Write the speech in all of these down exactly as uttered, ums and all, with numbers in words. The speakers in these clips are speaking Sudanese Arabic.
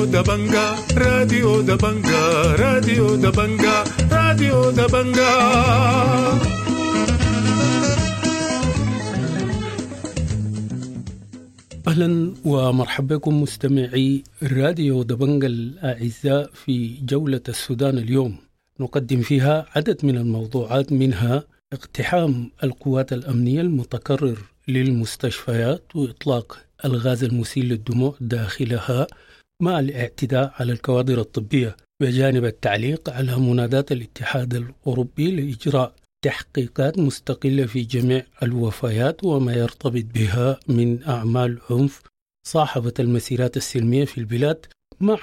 راديو دبنجا، راديو دبنجا، راديو دبنجا، راديو دبنجا. أهلا ومرحبا بكم مستمعي راديو دبنجا الأعزاء في جولة السودان اليوم، نقدم فيها عدد من الموضوعات، منها اقتحام القوات الأمنية المتكرر للمستشفيات وإطلاق الغاز المسيل للدموع داخلها مع الاعتداء على الكوادر الطبية، بجانب التعليق على منادات الاتحاد الأوروبي لإجراء تحقيقات مستقلة في جميع الوفيات وما يرتبط بها من أعمال عنف صاحبت المسيرات السلمية في البلاد، مع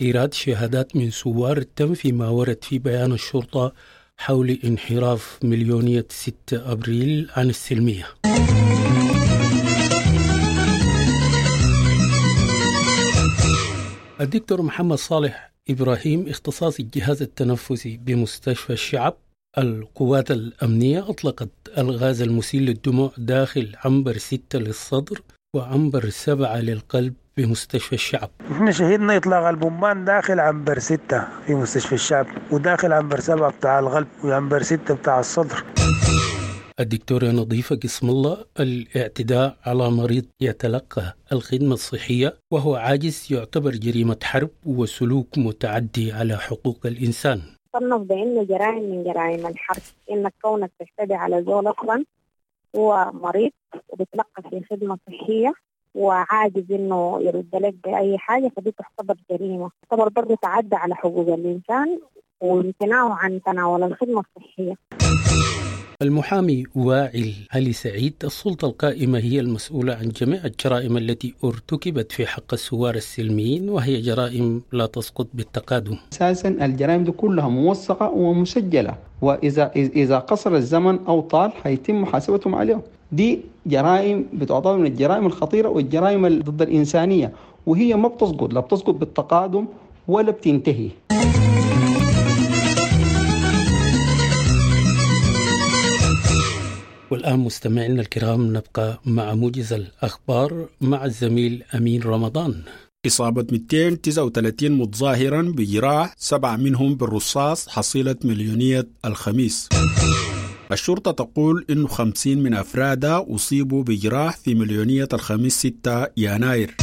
إيراد شهادات من ثوار تنفي ما ورد في بيان الشرطة حول انحراف مليونية ستة أبريل عن السلمية. الدكتور محمد صالح إبراهيم، اختصاصي الجهاز التنفسي بمستشفى الشعب، القوات الأمنية أطلقت الغاز المسيل للدموع داخل عنبر ستة للصدر وعنبر سبعة للقلب بمستشفى الشعب. نحن شهدنا إطلاق البومبان داخل عنبر ستة في مستشفى الشعب، وداخل عنبر سبعة بتاع القلب، وعنبر ستة بتاع الصدر. الدكتورة نظيفة قسم الله، الاعتداء على مريض يتلقى الخدمة الصحية وهو عاجز يعتبر جريمة حرب وسلوك متعدي على حقوق الإنسان. صنف بأنه جرائم من جرائم الحرب، إنك كونك تعتدي على زول أصلا هو مريض وبتلقى في خدمة صحية وعاجز إنه يرد لك بأي حاجة، فدي تعتبر جريمة، تعتبر برضه تعدى على حقوق الإنسان وامتناعه عن تناول الخدمة الصحية. المحامي وائل علي سعيد، السلطة القائمة هي المسؤولة عن جميع الجرائم التي ارتكبت في حق الثوار السلميين، وهي جرائم لا تسقط بالتقادم. أساسا الجرائم دي كلها موثقة ومسجلة، وإذا إذا قصر الزمن أو طال هيتم محاسبتهم عليهم. دي جرائم بتعتبر من الجرائم الخطيرة والجرائم ضد الإنسانية، وهي ما بتسقط، لا بتسقط بالتقادم ولا بتنتهي. والآن مستمعينا الكرام نبقى مع موجز الأخبار مع الزميل أمين رمضان. إصابة مئتين وتسعة وثلاثين متظاهرا بجراح، سبعة منهم بالرصاص، حصيلة مليونية الخميس. الشرطة تقول إنه خمسين من أفرادها أصيبوا بجراح في مليونية الخميس ستة يناير.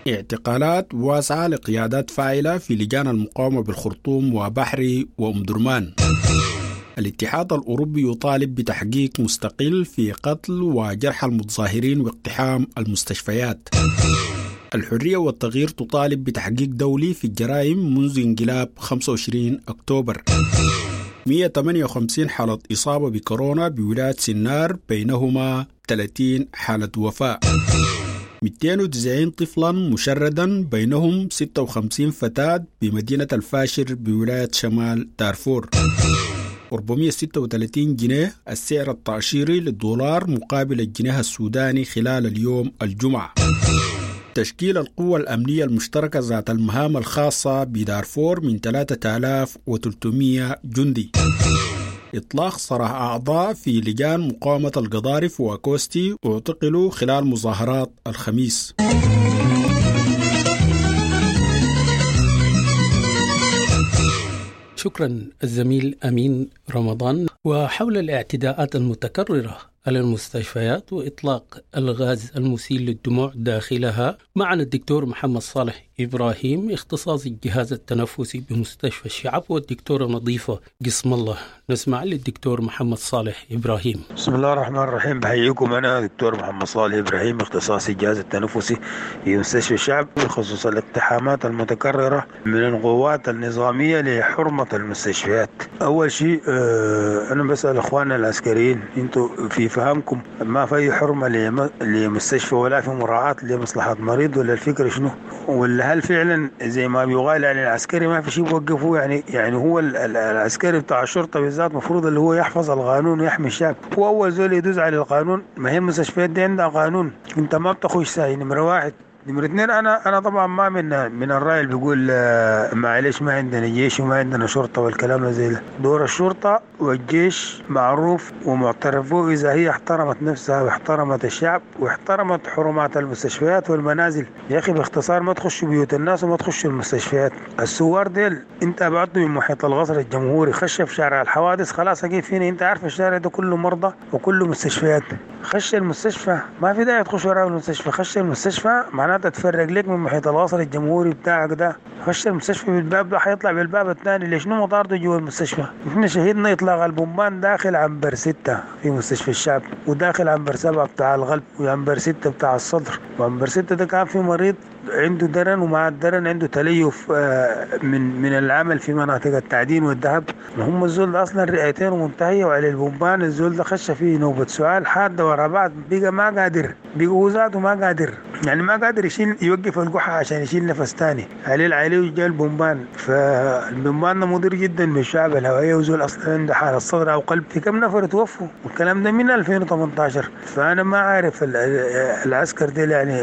اعتقالات واسعة لقيادات فاعلة في لجان المقاومة بالخرطوم وبحري وأم درمان. الاتحاد الأوروبي يطالب بتحقيق مستقل في قتل وجرح المتظاهرين واقتحام المستشفيات. الحرية والتغيير تطالب بتحقيق دولي في الجرائم منذ انقلاب خمسة وعشرين أكتوبر. مئة وثمانية وخمسين حالة إصابة بكورونا بولاية سنار، بينهما ثلاثين حالة وفاة. مئتين وتسعين طفلا مشردا، بينهم ستة وخمسين فتاة بمدينة الفاشر بولاية شمال دارفور. أربعمئة وستة وثلاثين جنيه السعر التأشيري للدولار مقابل الجنيه السوداني خلال اليوم الجمعة. تشكيل القوة الأمنية المشتركة ذات المهام الخاصة بدارفور من ثلاثة آلاف وثلاثمئة جندي. إطلاق سراح أعضاء في لجان مقاومة القضارف وكوستي اعتقلوا خلال مظاهرات الخميس. شكرا الزميل أمين رمضان. وحول الاعتداءات المتكررة على المستشفيات وإطلاق الغاز المسيل للدموع داخلها، معنا الدكتور محمد صالح إبراهيم، اختصاصي الجهاز التنفسي بمستشفى الشعب، والدكتورة نظيفة قسم الله. نسمع للدكتور محمد صالح إبراهيم. بسم الله الرحمن الرحيم، بحييكم. أنا دكتور محمد صالح إبراهيم، اختصاصي الجهاز التنفسي في مستشفى الشعب، بخصوص الاقتحامات المتكررة من القوات النظامية لحرمة المستشفيات. أول شيء أنا بسأل إخواننا العسكريين، أنتوا في فهمكم ما في حرمة لمستشفى ولا في مراعاة لمصلحة مريض، ولا الفكرة شنو؟ ولا هل فعلا زي ما بيقال يعني العسكري ما في شيء بيوقفوه؟ يعني يعني هو العسكري بتاع الشرطة بالذات مفروض اللي هو يحفظ القانون ويحمي الشعب، هو أول زول يدوس على القانون. ما هي المستشفيات دي عندها قانون، أنت ما بتخش ساي نمرة واحد. نمرة اثنين، انا انا طبعا ما من من الراي اللي بيقول معلش ما عندنا جيش وما عندنا شرطه والكلام زي ده. دور الشرطة والجيش معروف ومعترف به اذا هي احترمت نفسها واحترمت الشعب واحترمت حرمات المستشفيات والمنازل. يا اخي باختصار ما تخشوا بيوت الناس وما تخشوا المستشفيات. الثوار ديل انت ابعدوا من محيط القصر الجمهوري، خش في شارع الحوادث خلاص اكيد فينا، انت عارف الشارع ده كله مرضى وكله مستشفيات. خش المستشفى، ما في داعي تخش وراء المستشفى، خش المستشفى معناتها تفرق لك من محيط القصر الجمهوري بتاعك ده. خش المستشفى بالباب ده حيطلع بالباب الثاني، ليش شنو مطارده جوا المستشفى؟ احنا شهدنا اطلاق البومبان داخل عنبر ستة في مستشفى الشعب، وداخل عنبر سبعة بتاع القلب، وعنبر ستة بتاع الصدر. وعنبر ستة ده كان في مريض عنده درن، ومع الدرن عنده تليف من من العمل في مناطق التعدين والذهب. هم الزول ده اصلا رئتين منتهية وعلى البومبان الزول ده خش فيه نوبه سعال حادة ورا بعض، بقى ما قادر، بقى هو ذاته ما قادر، يعني ما قادر يشيل يوقف القحه عشان يشيل نفس ثاني. عليه عليه جاء البومبان، فالبومبان ده مضر جدا بالشعب الهوائية، وزول اصلا عنده حاله صدر او قلب. في كم نفر توفوا، والكلام ده من ألفين وثمانية عشر. فانا ما عارف العسكر ديل يعني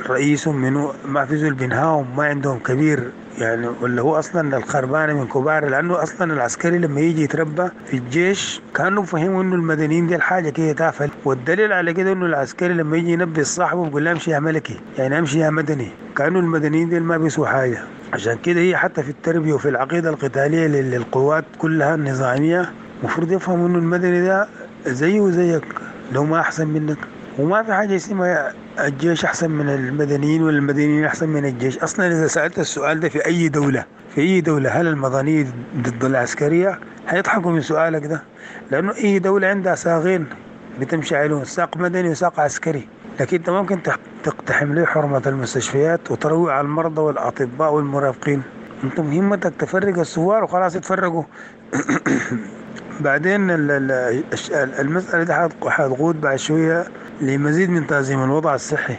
رئيسهم منو، ما في زول بينهاهم، ما عندهم كبير يعني، ولا هو اصلا الخربانه من كبار. لانه اصلا العسكري لما يجي يتربى في الجيش كانوا فهموا انه المدنيين دي الحاجة كده تافهة، والدليل على كده انه العسكري لما يجي ينبه صاحبه بيقول له امشي يا ملكي، يعني امشي يا مدني، كانوا المدنيين دي ما بيسوا حاجة. عشان كده هي حتى في التربية وفي العقيدة القتالية للقوات كلها النظامية المفروض يفهموا انه المدني ده زيه وزيك، لو ما احسن منك. وما في حاجة اسمها الجيش احسن من المدنيين ولا المدنيين احسن من الجيش. اصلا اذا سالت السؤال ده في اي دولة، في اي دولة هل المدنية ضد العسكرية، هيضحكوا من سؤالك ده، لانه اي دولة عندها ساقين بتمشي عليهم، ساق مدني وساق عسكري. لكن انت ممكن تقتحم له حرمه المستشفيات وتروع على المرضى والاطباء والمرافقين. انت مهمتك تفرق الثوار وخلاص يتفرقوا. بعدين المسألة دي حتقود بعد شوية لمزيد من تأزيم الوضع الصحي.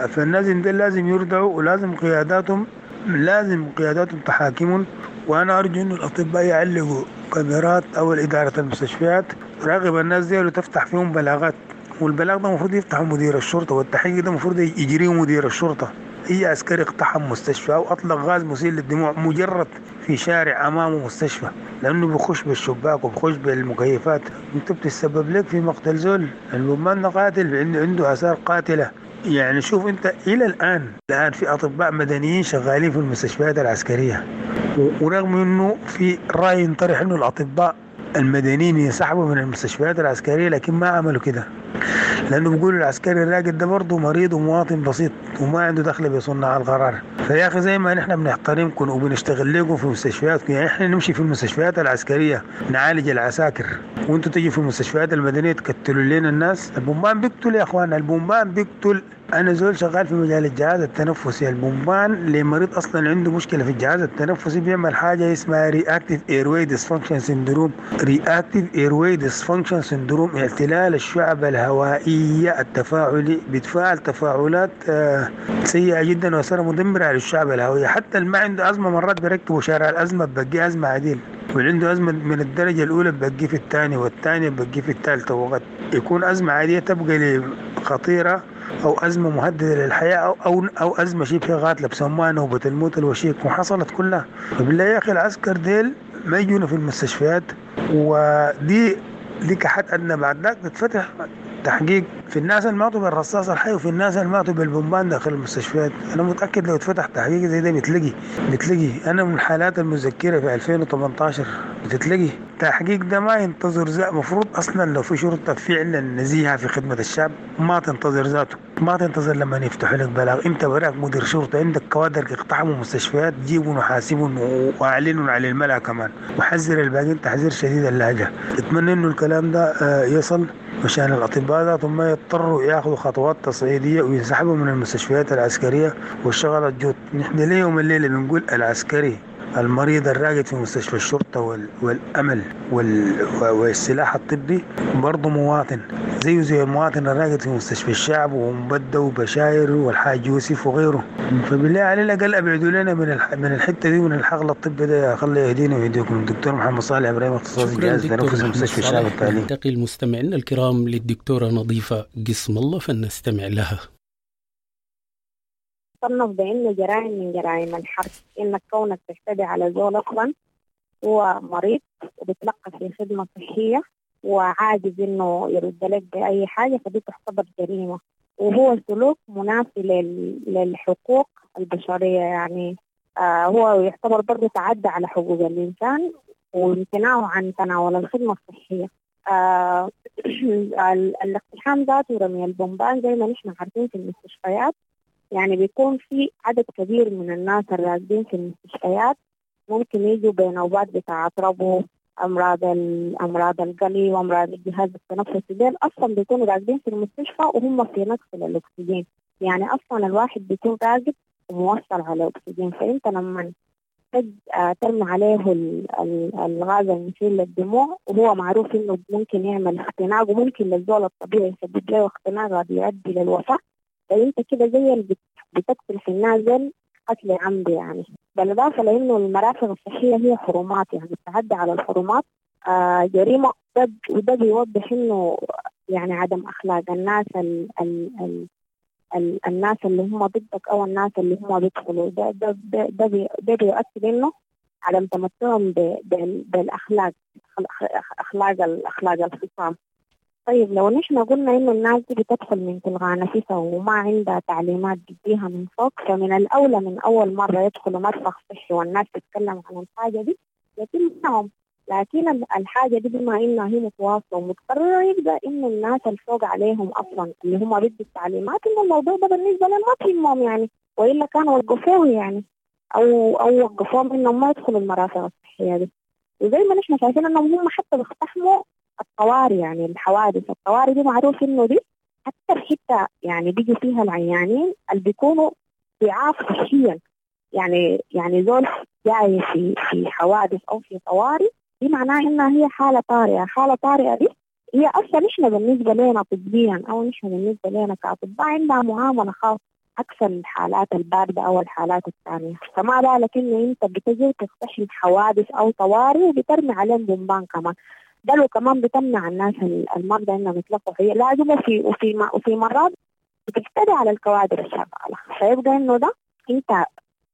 فالناس دي لازم يردعوا، ولازم قياداتهم لازم قياداتهم تحاكمهم. وأنا أرجو إنه الأطباء يعلقوا كاميرات أو إدارة المستشفيات تراقب الناس دي وتفتح فيهم بلاغات، والبلاغ ده المفروض يفتحه مدير الشرطة، والتحقيق ده المفروض يجريه مدير الشرطة. أي عسكري اقتحم مستشفى أو أطلق غاز مسيل للدموع مجرد في شارع أمامه مستشفى، لأنه بخش بالشباك وبخش بالمكيفات، أنت بتسبب لك في مقتل زول. البومان قاتل، عنده عنده آثار قاتلة. يعني شوف أنت إلى الآن الآن في أطباء مدنيين شغالين في المستشفيات العسكرية، ورغم أنه في رأي ينطرح أنه الأطباء المدنيين ينسحبوا من المستشفيات العسكرية، لكن ما عملوا كده، لأنه بيقولوا العسكري الراقد ده برضه مريض ومواطن بسيط وما عنده دخل بصناع القرار. فيا أخي زي ما نحن بنحترمكم وبنشتغل لكم في مستشفياتكم، يعني احنا نمشي في المستشفيات العسكرية نعالج العساكر، وانتوا تيجي في المستشفيات المدنية تقتلوا لنا الناس. البومبان بيقتل يا اخوان، البومبان بيقتل. انا زول شغال في مجال الجهاز التنفسي، البومبان لمريض اصلا عنده مشكلة في الجهاز التنفسي بيعمل حاجة اسمها reactive airway dysfunction syndrome. reactive airway dysfunction syndrome اعتلال الشعب الهوائية التفاعلي، بيتفاعل تفاعلات سيئه جدا واثارها مدمرة على الشعب الهوائية. حتى اللي ما عنده ازمة مرات بيركبوا شارع الازمة ببقي ازمة عديل، واللي عنده ازمة من الدرجة الاولى ببقي في الثانية، والثانية ببقي في الثالثة، وقد يكون ازمة عادية تبقى خطيرة او ازمة مهددة للحياة او او او ازمة شبه قاتله بسموها نوبه الموت الوشيك، وحصلت كلها. فبالله يا اخي العسكر ديل ما يجونا في المستشفيات، ودي دي كحد ادنى. بعد ذاك تتفتح تحقيق في الناس اللي ماتوا بالرصاص الحي وفي الناس اللي ماتوا بالبومبان داخل المستشفيات. انا متاكد لو اتفتح تحقيق زي ده بتلاقي بتلاقي انا من الحالات المذكرة في ألفين وثمانية عشر بتتلاقي التحقيق ده ما ينتظر ذا. المفروض اصلا لو في شرطه فعلا نزيهة في خدمة الشعب ما تنتظر ذاته، ما تنتظر لما يفتحوا لك بلاغ. انت براك مدير شرطه عندك كوادر اقتحموا مستشفيات، جيبوا وحاسبوا واعلنوا على الملأ كمان، وحذر الباقيين تحذير شديد اللهجة. اتمنى انه الكلام ده يصل عشان الاطباء ذاتهم ما يضطروا ياخذوا خطوات تصعيديه وينسحبوا من المستشفيات العسكرية والشغله تجوط. نحن ليوم الليلة بنقول العسكري المريض الراقد في مستشفى الشرطة والأمل والسلاح الطبي برضه مواطن زيه زي المواطن الراقد في مستشفى الشعب ومبدة وبشاير والحاج يوسف وغيره. فبالله على الأقل أبعدوا لنا من من الحتة دي ومن الحقل الطبي ده. خلي يهدينا ويهديكم. الدكتور محمد صالح إبراهيم، اختصاصي جهاز تنفس مستشفى الشعب التعليمي. ننتقل مستمعينا الكرام للدكتورة نظيفة قسم الله فلنستمع لها. بيتصنف بأنه جرائم من جرائم الحرب، إنك كونك تعتدي على زول أصلا هو مريض وبيتلقى في خدمة صحية وعاجز إنه يرد لك بأي حاجة، فدي تعتبر جريمة، وهو سلوك منافي للحقوق البشرية. يعني آه هو يعتبر برضه تعدى على حقوق الإنسان وامتناعه عن تناول الخدمة الصحية. آه الاقتحام ذاته ورمي البومبان زي ما نحن عارفين في المستشفيات، يعني بيكون في عدد كبير من الناس الراقدين في المستشفيات ممكن يجوا بنوبات بتاعة ربو، أمراض أمراض القلب وأمراض الجهاز التنفسي، ديل أصلا بيكونوا راقدين في المستشفى وهم في نقص للأكسجين. يعني أصلا الواحد بيكون راقد وموصل على أكسجين، فأنت لما ترمي عليه الغاز المسيل للدموع وهو معروف إنه ممكن يعمل اختناق وممكن للزول الطبيعي يسبب له اختناق قد يؤدي للوفاة، فأنت كده زي اللي بتقتل في النازل قتل عمدي. يعني بالإضافة لأنه المرافق الصحية هي حرمات، يعني التعدي على الحرمات آه جريمة، وده بيوضح إنه يعني عدم أخلاق الناس ال ال ال ال الناس اللي هم ضدك أو الناس اللي هم بيدخلوا، ده ده ده ده, بي ده بيؤكد إنه عدم تمتعهم بالأخلاق، أخلاق الأخلاق الخصام. طيب لو نحن قلنا إنه الناس دي بتدخل من تلغى نفسها وما عندها تعليمات بتديها من فوق، فمن الأولى من أول مرة يدخلوا مرفق صحي والناس تتكلم عن الحاجة دي يتم منعهم. لكن الحاجة دي بما إنها هي متواصلة ومتكررة يبقى إنه الناس الفوق عليهم أصلا اللي هم بيدوا التعليمات إنه الموضوع ده بالنسبة لهم ما تهمهم يعني، وإلا كانوا وقفوه يعني أو أو وقفوهم إنهم ما يدخلوا المرافق الصحية دي. وزي ما نحن شايفين إنهم هم حتى بيقتحموا الطوارئ، يعني الحوادث الطوارئ دي معروف إنه دي أكثر حتة يعني بيجوا فيها العيانين اللي بيكونوا ضعاف صحيا، يعني يعني زول جاي في في حوادث أو في طوارئ دي معناها إنها هي حالة طارئة. حالة طارئة دي هي أصلا نحن بالنسبة لنا طبيا أو نحن بالنسبة لنا كأطباء عندها معاملة خاصة عكس الحالات الباردة أو الحالات الثانية، فما بالك إنه أنت بتجي وتقتحم حوادث أو طوارئ وبترمي عليهم بومبان كمان، ده لو كمان بتمنع الناس المرضى انهم يتلقوا فيه لازم، وفي وفي وفي مرات بتعتدي على الكوادر الشغاله، فيبقى انه ده انت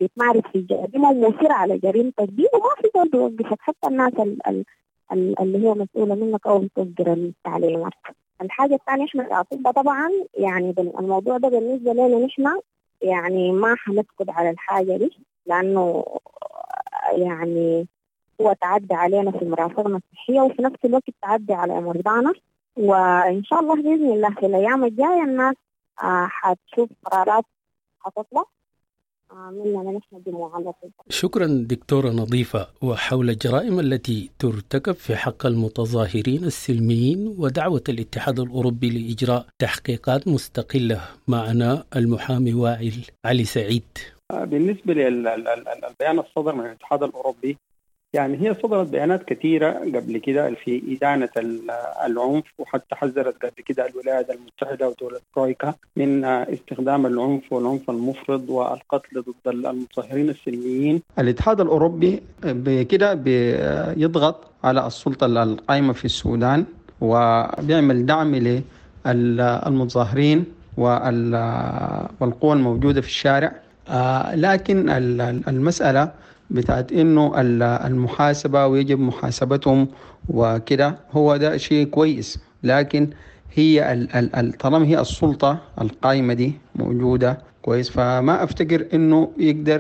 بتمارس في جريمه ومصر على جريمتك دي وما في زول بيوقفك، حتى الناس ال ال ال اللي هي مسؤوله منك او بتصدر التعليمات. الحاجه الثانيه احنا الاطباء طبعا يعني الموضوع ده بالنسبه لنا نحن يعني ما حنسكت على الحاجه دي، لانه يعني هو تعدي علينا في مرافقنا الصحية وفي نفس الوقت تعدي على مرضانا. وإن شاء الله بإذن الله في الأيام الجاية الناس حتشوف قرارات حتطلع مننا نحن جموع الأطباء. شكرا دكتورة نظيفة. وحول الجرائم التي ترتكب في حق المتظاهرين السلميين ودعوة الاتحاد الأوروبي لإجراء تحقيقات مستقلة، معنا المحامي وائل علي سعيد. بالنسبة للبيان الصدر من الاتحاد الأوروبي، يعني هي صدرت بيانات كثيرة قبل كده في إدانة العنف، وحتى حذرت قبل كده الولايات المتحدة ودولة ترويكا من استخدام العنف والعنف المفرط والقتل ضد المتظاهرين السلميين. الاتحاد الأوروبي بكده بيضغط على السلطة القائمة في السودان وبيعمل دعم للمتظاهرين والقوى الموجودة في الشارع، لكن المسألة بتاعت إنه المحاسبة ويجب محاسبتهم وكده هو ده شيء كويس، لكن هي طالما هي السلطة القائمة دي موجودة كويس، فما أفتكر إنه يقدر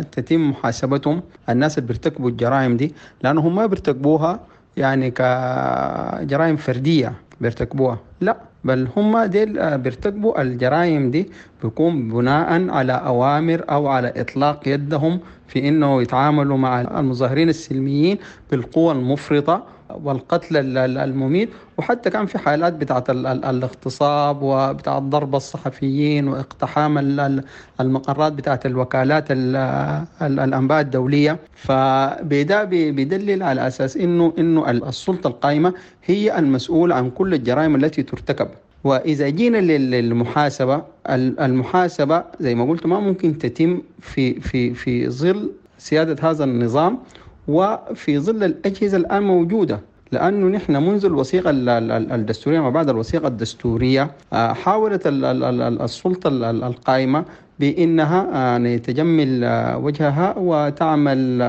تتم محاسبتهم الناس اللي بيرتكبوا الجرائم دي، لأنهم ما بيرتكبوها يعني كجرائم فردية بيرتكبوها، لا بل هم ديل بيرتكبوا الجرائم دي بيكون بناء على أوامر أو على إطلاق يدهم في إنه يتعاملوا مع المظاهرين السلميين بالقوة المفرطة والقتل المميت، وحتى كان في حالات بتاعت الاغتصاب وبتاعت ضرب الصحفيين واقتحام المقرات بتاعت الوكالات الأنباء الدولية. فبدا بيدلل على أساس إنه إنه السلطة القائمة هي المسؤولة عن كل الجرائم التي ترتكب. وإذا جينا للمحاسبة، المحاسبة زي ما قلت ما ممكن تتم في في في ظل سيادة هذا النظام وفي ظل الأجهزة الآن موجودة، لأنه نحن منذ الوثيقة الدستورية ما بعد الوثيقة الدستورية حاولت السلطة القائمة بانها يعني تجمل وجهها وتعمل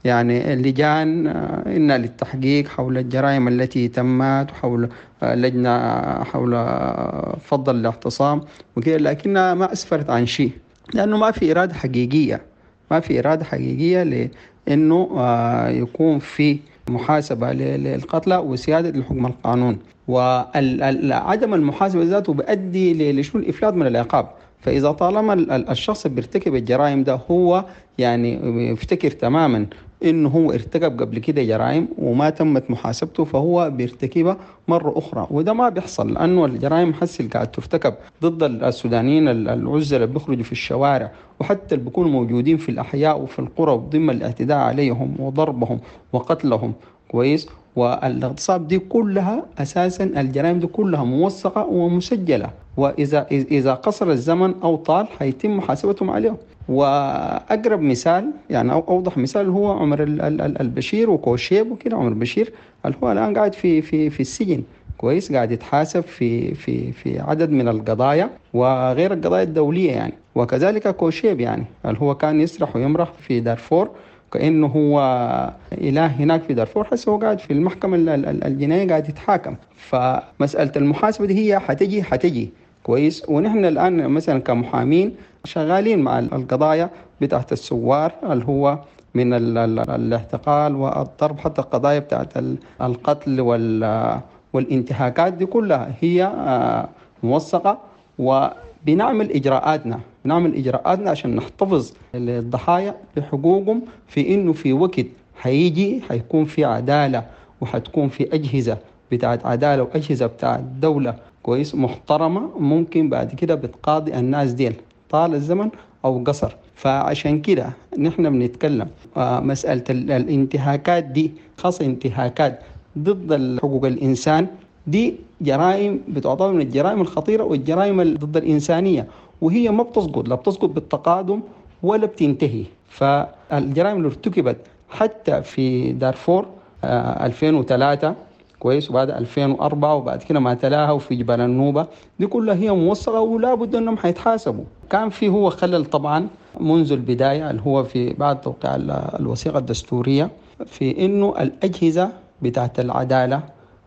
يعني لجان إن للتحقيق حول الجرائم التي تمت، وحول لجنة حول فض الاعتصام وكده، لكنها ما أسفرت عن شيء، لأنه ما في إرادة حقيقية، ما في إرادة حقيقية لأنه يكون في محاسبة للقتلى وسيادة لحكم القانون. وعدم المحاسبة ذاته بيؤدي لشنو؟ الإفلات من العقاب. فإذا طالما الشخص اللي بيرتكب الجرائم ده هو يعني يفتكر تماما إنه هو ارتكب قبل كده جرائم وما تمت محاسبته، فهو بيرتكبها مرة أخرى، وده ما بيحصل، لأنه الجرائم حس اللي قاعد ترتكب ضد السودانيين العزلة اللي بيخرجوا في الشوارع، وحتى اللي بيكونوا موجودين في الأحياء وفي القرى، وضمن الاعتداء عليهم وضربهم وقتلهم كويس، والاغتصاب دي كلها أساسا الجرائم دي كلها موثقة ومسجلة، وإذا إذا قصر الزمن أو طال حيتم محاسبتهم عليهم. وأقرب مثال يعني أو أوضح مثال هو عمر البشير وكوشيب وكده. عمر البشير اللي هو الآن قاعد في في في السجن كويس، قاعد يتحاسب في في في عدد من القضايا وغير القضايا الدولية يعني. وكذلك كوشيب يعني اللي هو كان يسرح ويمرح في دارفور كأنه هو إله هناك في دارفور، حس هو قاعد في المحكمة الجنائية قاعد يتحاكم. فمسألة المحاسبة دي هي حتجي حتجي كويس. ونحن الآن مثلا كمحامين شغالين مع القضايا بتاعت الثوار اللي هو من الاعتقال والضرب، حتى القضايا بتاعت القتل والانتهاكات دي كلها هي موثقة، وبنعمل إجراءاتنا بنعمل إجراءاتنا عشان نحتفظ للضحايا بحقوقهم، في إنه في وقت حيجي حيكون في عدالة، وحتكون في أجهزة بتاعت عدالة وأجهزة بتاعت دولة كويس محترمة، ممكن بعد كده بتقاضي الناس ديل طال الزمن أو قصر. فعشان كده نحن بنتكلم مسألة الانتهاكات دي، خاصة انتهاكات ضد حقوق الإنسان، دي جرائم بتعتبر من الجرائم الخطيرة والجرائم ضد الإنسانية، وهي ما بتسقط، لا بتسقط بالتقادم ولا بتنتهي. فالجرائم اللي ارتكبت حتى في دارفور ألفين وثلاثة كويس، وبعد ألفين وأربعة وبعد كده ما تلاها وفي جبال النوبة، دي كلها هي موثقة ولا بد أنهم حيتحاسبوا. كان في هو خلل طبعا منذ البداية اللي هو في بعد توقيع الوثيقة الدستورية، في إنه الأجهزة بتاعت العدالة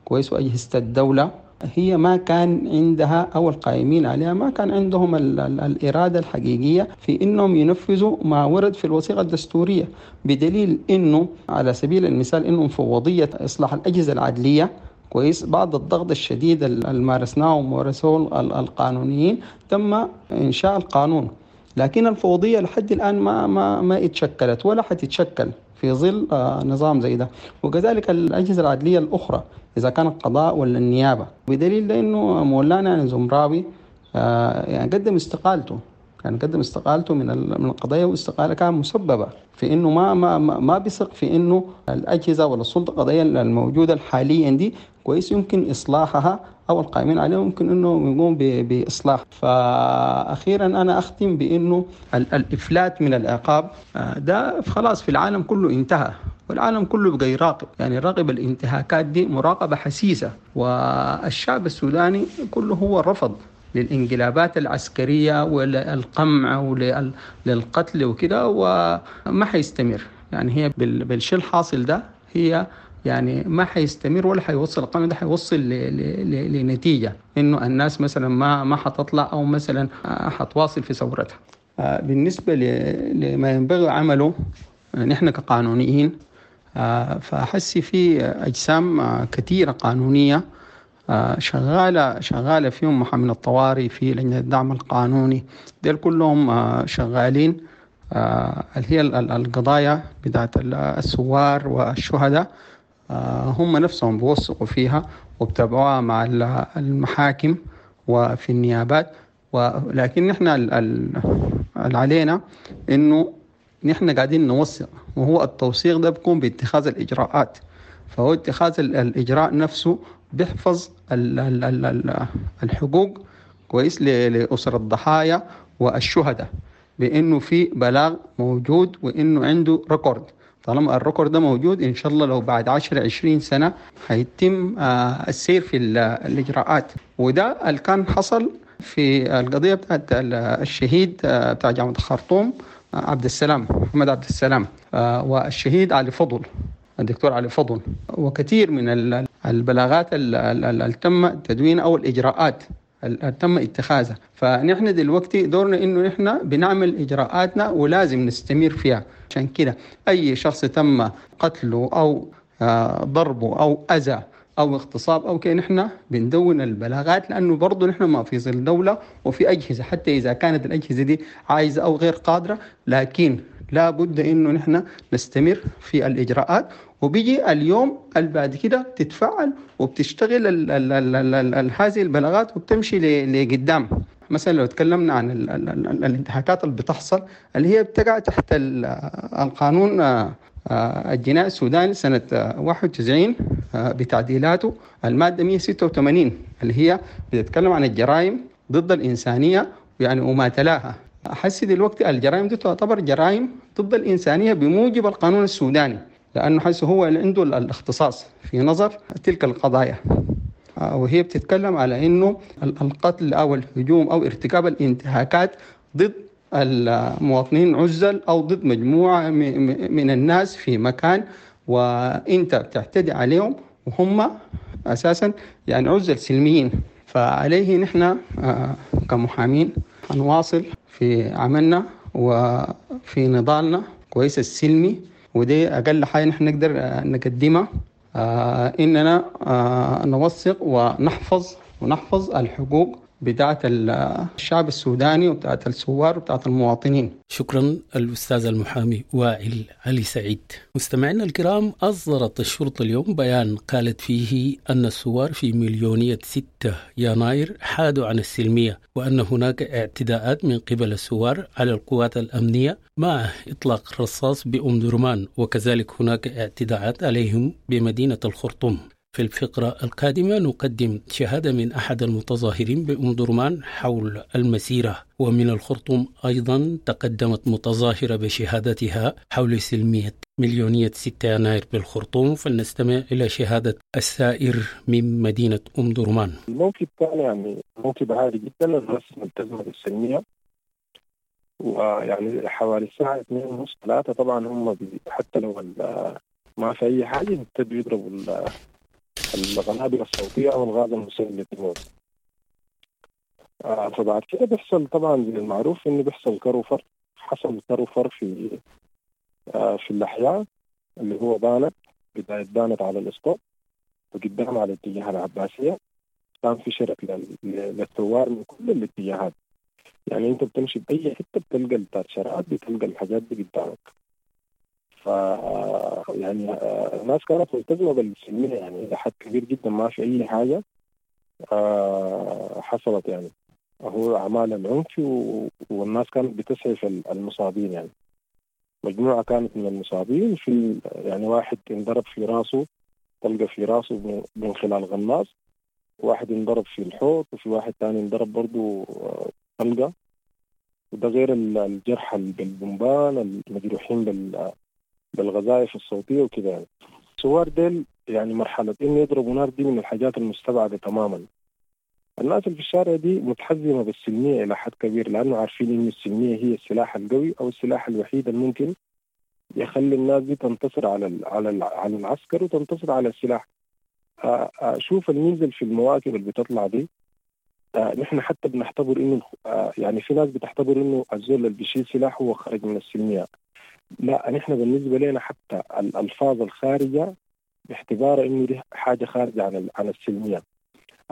كويس وأجهزة الدولة هي ما كان عندها أو القائمين عليها ما كان عندهم ال ال الإرادة الحقيقية في إنهم ينفذوا ما ورد في الوثيقة الدستورية، بدليل إنه على سبيل المثال إنه مفوضية إصلاح الأجهزة العدلية كويس بعد الضغط الشديد اللي مارسناه ومارسوه القانونيين تم إنشاء القانون، لكن الفوضية لحد الآن ما ما ما اتشكلت ولا حتتشكل في ظل نظام زي ده. وكذلك الأجهزة العدلية الأخرى إذا كان القضاء ولا النيابة، بدليل لأنه مولانا زمراوي يعني قدم استقالته، يعني قدم استقالته من من القضية، واستقالة كان مسببة في إنه ما ما ما بيثق في إنه الأجهزة ولا السلطة القضائية الموجودة حاليا دي كويس يمكن إصلاحها أو القائمين عليها ممكن إنه يقوم بإصلاح. فأخيرا أنا أختم بإنه الإفلات من العقاب ده خلاص في العالم كله انتهى، والعالم كله بقى يراقب، يعني يراقب الانتهاكات دي مراقبة حسيسة، والشعب السوداني كله هو رفض للانقلابات العسكرية وللقمع وللقتل وكده، وما حيستمر. يعني هي بالشيء الحاصل ده هي يعني ما حيستمر ولا حيوصل القمع ده، حيوصل لنتيجة إنه الناس مثلا ما ما حتطلع أو مثلا حتواصل في ثورتها. بالنسبة لما ينبغي عمله نحن كقانونيين، فحسي في أجسام كثيرة قانونية شغالة شغالة فيهم محامين الطوارئ، في لجنة الدعم القانوني، ديل كلهم شغالين اللي هي القضايا بتاعت الثوار والشهداء، هم نفسهم بيوثقوا فيها وبتابعوها مع المحاكم وفي النيابات. ولكن نحن اللي علينا انه نحن قاعدين نوثق، وهو التوثيق ده بيكون باتخاذ الإجراءات، فهو اتخاذ الإجراء نفسه بيحفظ الحقوق كويس لأسر الضحايا والشهداء، بأنه في بلاغ موجود وإنه عنده record. طالما ال record ده موجود إن شاء الله لو بعد عشر عشرين سنة هيتم السير في الإجراءات. وده اللي كان حصل في القضية بتاعت الشهيد بتاع جامعة الخرطوم عبد السلام محمد عبد السلام، والشهيد علي فضل الدكتور علي فضل، وكثير من البلاغات اللي تم تدوين أو الإجراءات اللي تم اتخاذها. فنحن دلوقتي دورنا إنه نحن بنعمل إجراءاتنا ولازم نستمر فيها. عشان كده أي شخص تم قتله أو ضربه أو أذى أو اغتصاب أو كده نحن بندون البلاغات، لأنه برضو نحن ما في ظل دولة وفي أجهزة، حتى إذا كانت الأجهزة دي عايزة أو غير قادرة، لكن لا بد إنه نحن نستمر في الإجراءات. وبيجي اليوم اللي بعد كده تتفعل وبتشتغل ال ال ال ال ال هذه البلاغات وبتمشي لقدام. مثلا لو تكلمنا عن ال ال ال الانتهاكات اللي بتحصل اللي هي بتقع تحت القانون الجنائي السوداني سنة واحد وتسعين بتعديلاته، المادة مئة وستة وثمانين اللي هي بتتكلم عن الجرائم ضد الإنسانية يعني وما تلاها. أحس دلوقتي الجرائم دي تعتبر جرائم ضد الإنسانية بموجب القانون السوداني، لأنه حيث هو اللي عنده الاختصاص في نظر تلك القضايا. وهي بتتكلم على أنه القتل أو الهجوم أو ارتكاب الانتهاكات ضد المواطنين عزل أو ضد مجموعة من الناس في مكان وإنت بتعتدي عليهم وهم أساسا يعني عزل سلميين. فعليه نحن كمحامين هنواصل في عملنا وفي نضالنا كويس السلمي، ودي أقل حاجة نحن نقدر نقدمها، إننا نوثق ونحفظ ونحفظ الحقوق بتاعت الشعب السوداني وبتاعت الثوار وبتاعت المواطنين. شكرا الأستاذ المحامي وائل علي سعيد. مستمعينا الكرام، أصدرت الشرطة اليوم بيان قالت فيه أن الثوار في مليونية ستة يناير حادوا عن السلمية، وأن هناك اعتداءات من قبل الثوار على القوات الأمنية مع إطلاق الرصاص بأم درمان، وكذلك هناك اعتداءات عليهم بمدينة الخرطوم. في الفقرة القادمة نقدم شهادة من أحد المتظاهرين بأم درمان حول المسيرة، ومن الخرطوم أيضا تقدمت متظاهرة بشهادتها حول سلمية مليونية ستة يناير بالخرطوم. فلنستمع إلى شهادة السائر من مدينة أم درمان. الموكب كان يعني موكب عالي جدا، الناس ملتزمة بالسلمية، ويعني حوالي الساعة اثنين ونص ثلاثة طبعا هم حتى لو ما في أي حاجة يبتدوا يضربوا القنابل الصوتية أو الغاز المسيل للدموع. آه فبعد كده بيحصل طبعا زي المعروف إنه بيحصل كروفر، حصل كروفر في آه في الأحياء اللي هو بانت، بداية بانت على الإسقاط وقدام على اتجاه العباسية، كان في شرك للثوار من كل الاتجاهات. يعني أنت بتمشي بأي حتة بتلقى التاتشرات، بتلقى الحاجات دي قدامك. ف يعني الناس كانت ملتزمة بالسلمية يعني إلى حد كبير جدا، ما في أي حاجة حصلت يعني هو أعمال العنف، والناس كانت بتسعف المصابين. يعني مجموعة كانت من المصابين في يعني واحد انضرب في راسه، طلقة في راسه من خلال غناص، واحد انضرب في الحوض، وفي واحد تاني انضرب برضو طلقة، وده غير الجرحى بالبومبان، المجروحين بال بالغذائف الصوتية وكده. يعني الثوار ديل يعني مرحلة إنه يضربوا نار دي من الحاجات المستبعدة تماما. الناس اللي في الشارع دي متحزمة بالسلمية إلى حد كبير، لأنه عارفين إن السلمية هي السلاح القوي أو السلاح الوحيد الممكن يخلي الناس دي تنتصر على ال على ال على العسكر وتنتصر على السلاح. شوف الميزة في المواكب اللي بتطلع دي، نحن حتى بنعتبر إنه يعني في ناس بتعتبر إنه الزول اللي بيشيل سلاح هو خرج من السلمية. لا، نحن بالنسبة لنا حتى الألفاظ الخارجة باعتبارها إنه دي حاجة خارجة عن عن السلمية.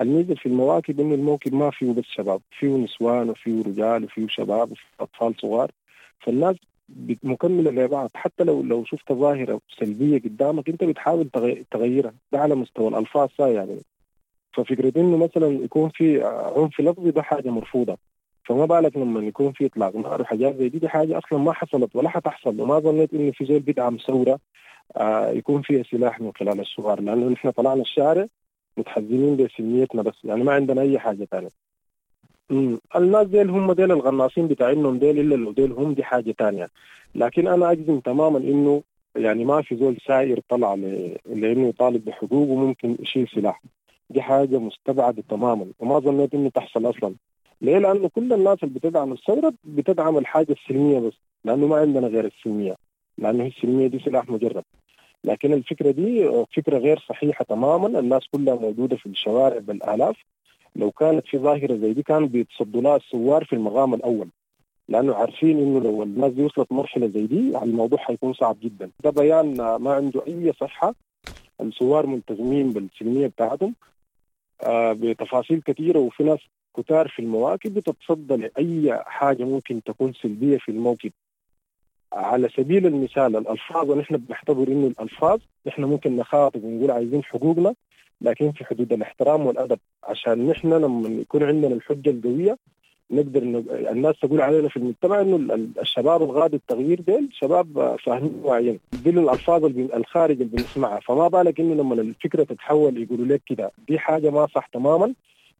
الميزة في المواكب إنه الموكب ما فيه بس شباب، فيه نسوان وفيه رجال وفيه شباب وفيه أطفال صغار، فالناس مكملة لبعض. حتى لو لو شفت ظاهرة سلبية قدامك أنت بتحاول تغيرها، ده على مستوى الألفاظ يعني. ففكرة إنه مثلا يكون في عنف لفظي ده حاجة مرفوضة، فما بالك لما يكون في اطلاق نار وحاجات زي دي، دي حاجه اصلا ما حصلت ولا حتحصل، وما ظنيت انه في زول بيدعم ثوره آه يكون فيها سلاح من خلال الثوار، لانه نحن طلعنا الشارع متحزمين بسلميتنا بس، يعني ما عندنا اي حاجه ثانيه. الناس ديل هم ديل الغناصين بتاعينهم ديل، الا لو ديل هم دي حاجه ثانيه. لكن انا اجزم تماما انه يعني ما في زول سائر طلع لانه يطالب بحقوقه ممكن يشيل سلاح، دي حاجه مستبعده تماما وما ظنيت انه تحصل اصلا. ليه؟ لأنه كل الناس اللي بتدعم الثورة بتدعم الحاجة السلمية بس، لأنه ما عندنا غير السلمية، لأنه السلمية دي سلاح مجرد. لكن الفكرة دي فكرة غير صحيحة تماما. الناس كلها موجودة في الشوارع بالآلاف. لو كانت في ظاهرة زي دي كانوا بيتصدوا لها الثوار في المقام الأول، لأنه عارفين إنه لو الناس دي وصلت مرحلة زي دي الموضوع حيكون صعب جدا. ده بيان ما عنده أي صحة. الثوار ملتزمين بالسلمية بتاعتهم بتفاصيل كثيرة، وفي ناس كتار في المواكب بتتصدى لأي حاجة ممكن تكون سلبية في الموكب. على سبيل المثال الألفاظ، ونحن بنعتبر إنه الألفاظ نحن ممكن نخاطب ونقول عايزين حقوقنا، لكن في حدود الاحترام والأدب، عشان نحن لما يكون عندنا الحجة القوية نقدر ن... الناس تقول علينا في المجتمع إنه الشباب الغادي التغيير ديل شباب فاهمين واعيين، دي الألفاظ الخارج اللي بنسمعها. فما بالك إنه لما الفكرة تتحول يقولوا لك كده، دي حاجة ما صح تماما.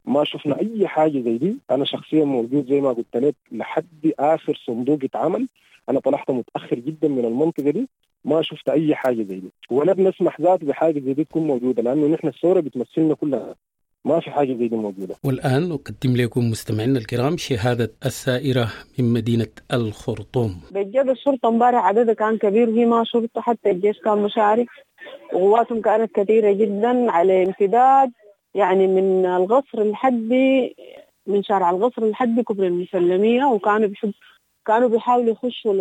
ما شفنا أي حاجة زي دي. أنا شخصيا موجود زي ما قلت لك لحد آخر صندوق اتعمل، أنا طلعت متأخر جدا من المنطقة دي، ما شفت أي حاجة زي دي، ولا بنسمح ذات بحاجة زي دي تكون موجودة، لأنه نحن الثورة بتمثلنا كلها، ما في حاجة زي دي موجودة. والآن نقدم لكم مستمعينا الكرام شهادة السائرة من مدينة الخرطوم. بجد الشرطة امبارح عددها كان كبير، وهي ما شرطة، حتى الجيش كان مشارك، وقواتهم كانت كثيرة جدا على امتداد يعني من القصر لحد من شارع القصر لحد كوبري المسلمية، وكانوا بيحب كانوا بيحاولوا يخشوا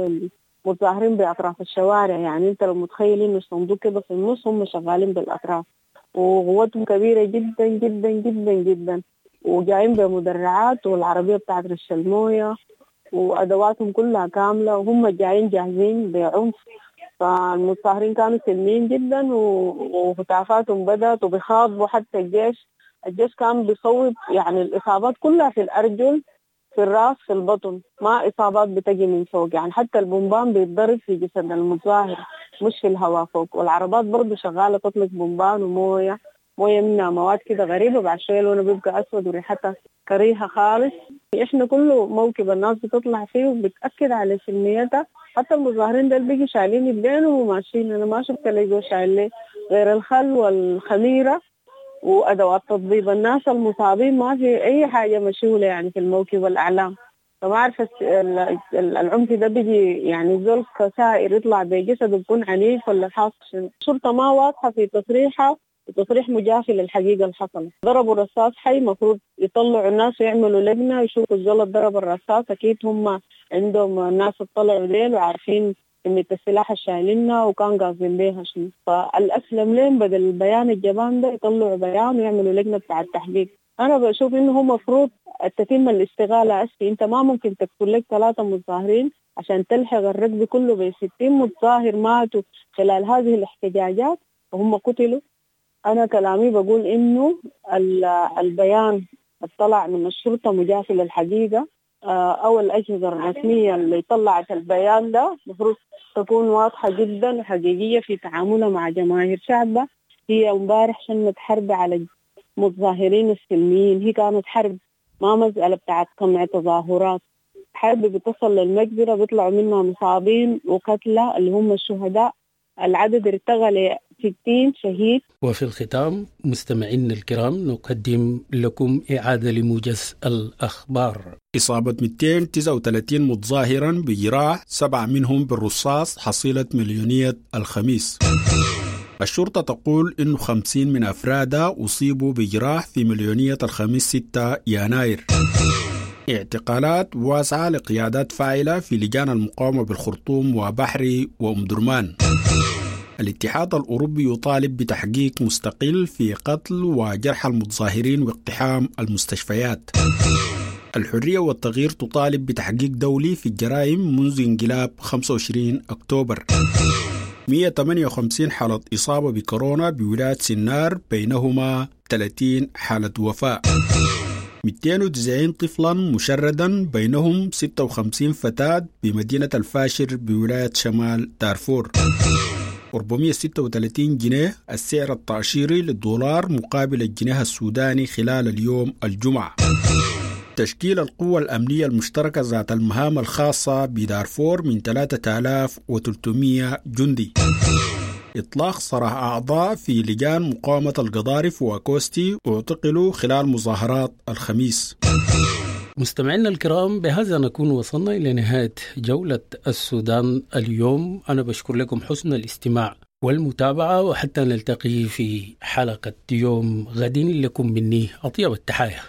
للمتظاهرين بأطراف الشوارع. يعني أنت لو متخيل إنه الصندوق كده في النص، هم شغالين بالأطراف، وقوتهم كبيرة جدا جدا جدا جدا، وجايين بمدرعات والعربية بتاعت رش الموية وأدواتهم كلها كاملة، وهم جايين جاهزين بعنف. فالمتظاهرين كانوا سلميين جدا، وهتافاتهم بدأت وبيخاطبوا حتى الجيش. الجيش كان بيصوب، يعني الإصابات كلها في الأرجل، في الراس، في البطن، ما إصابات بتجي من فوق، يعني حتى البومبان بيتضرب في جسد المتظاهر مش في الهواء فوق. والعربات برضو شغالة تطلق بومبان وموية، موية منها مواد كده غريبة، بعد شوية لونه بيبقى أسود وريحتها كريهة خالص. إحنا كله موكب الناس بتطلع فيه وبتأكد على سلميتها. حتى المظاهرين دول بيجوا شايلين يدينهم وماشيين، أنا ما شفت اللي شايل ليه غير الخل والخميرة وأدوات تطبيب الناس المصابين، ما في أي حاجة مشغولة يعني في الموكب والأعلام. فما عارفة العنف ده بيجي يعني زول كسائر يطلع بجسده بيكون عنيف ولا حاصل شنو. الشرطة ما واضحة في تصريحها، وتصريح مجافي للحقيقة اللي حصلت. ضربوا رصاص حي، مفروض يطلعوا الناس ويعملوا لجنة يشوفوا الزول ضرب الرصاص، أكيد هم عندهم الناس اطلعوا ليل وعارفين كمية السلاح الشايلينها وكان قاصدين بيها شنو. فالأسلم لين بدل البيان الجبان ده يطلعوا بيان ويعملوا لجنة بتاع التحقيق. أنا بشوف إنه هو مفروض تتم الاستغالة أسفي. أنت ما ممكن تقتل لك ثلاثة متظاهرين عشان تلحق الركب كله بستين متظاهر ماتوا خلال هذه الاحتجاجات وهم قتلوا. أنا كلامي بقول إنه البيان الطلع من الشرطة مجافي للحقيقة، أو الأجهزة الرسمية اللي طلعت البيان ده مفروض تكون واضحة جدا وحقيقية في تعاملها مع جماهير شعبها. هي امبارح شنت حرب على المتظاهرين السلميين، هي كانت حرب ما مسألة بتاعت قمع تظاهرات، حرب بتصل للمجزرة بيطلعوا منها مصابين وقتلى اللي هم الشهداء، العدد ارتقى ل ستين شهيد. وفي الختام مستمعينا الكرام نقدم لكم إعادة لموجز الأخبار. إصابة مئتين وتسعة وثلاثين متظاهرا بجراح، سبعة منهم بالرصاص، حصيلة مليونية الخميس. الشرطة تقول إنه خمسين من أفرادها أصيبوا بجراح في مليونية الخميس ستة يناير. اعتقالات واسعة لقيادات فاعلة في لجان المقاومة بالخرطوم وبحري وأم درمان. الاتحاد الأوروبي يطالب بتحقيق مستقل في قتل وجرح المتظاهرين واقتحام المستشفيات. الحرية والتغيير تطالب بتحقيق دولي في الجرائم منذ انقلاب خمسة وعشرين أكتوبر. مئة وثمانية وخمسين حالة إصابة بكورونا بولاية سنار، بينهما ثلاثين حالة وفاة. مئتين وتسعين طفلا مشردا، بينهم ستة وخمسين فتاة بمدينة الفاشر بولاية شمال دارفور. أربعمئة وستة وثلاثين جنيه السعر التأشيري للدولار مقابل الجنيه السوداني خلال اليوم الجمعة. تشكيل القوة الأمنية المشتركة ذات المهام الخاصة بدارفور من ثلاثة آلاف وثلاثمئة جندي. إطلاق سراح أعضاء في لجان مقاومة القضارف وكوستي اعتقلوا خلال مظاهرات الخميس. مستمعينا الكرام، بهذا نكون وصلنا إلى نهاية جولة السودان اليوم. أنا بشكر لكم حسن الاستماع والمتابعة، وحتى نلتقي في حلقة يوم غد، لكم مني أطيب التحايا.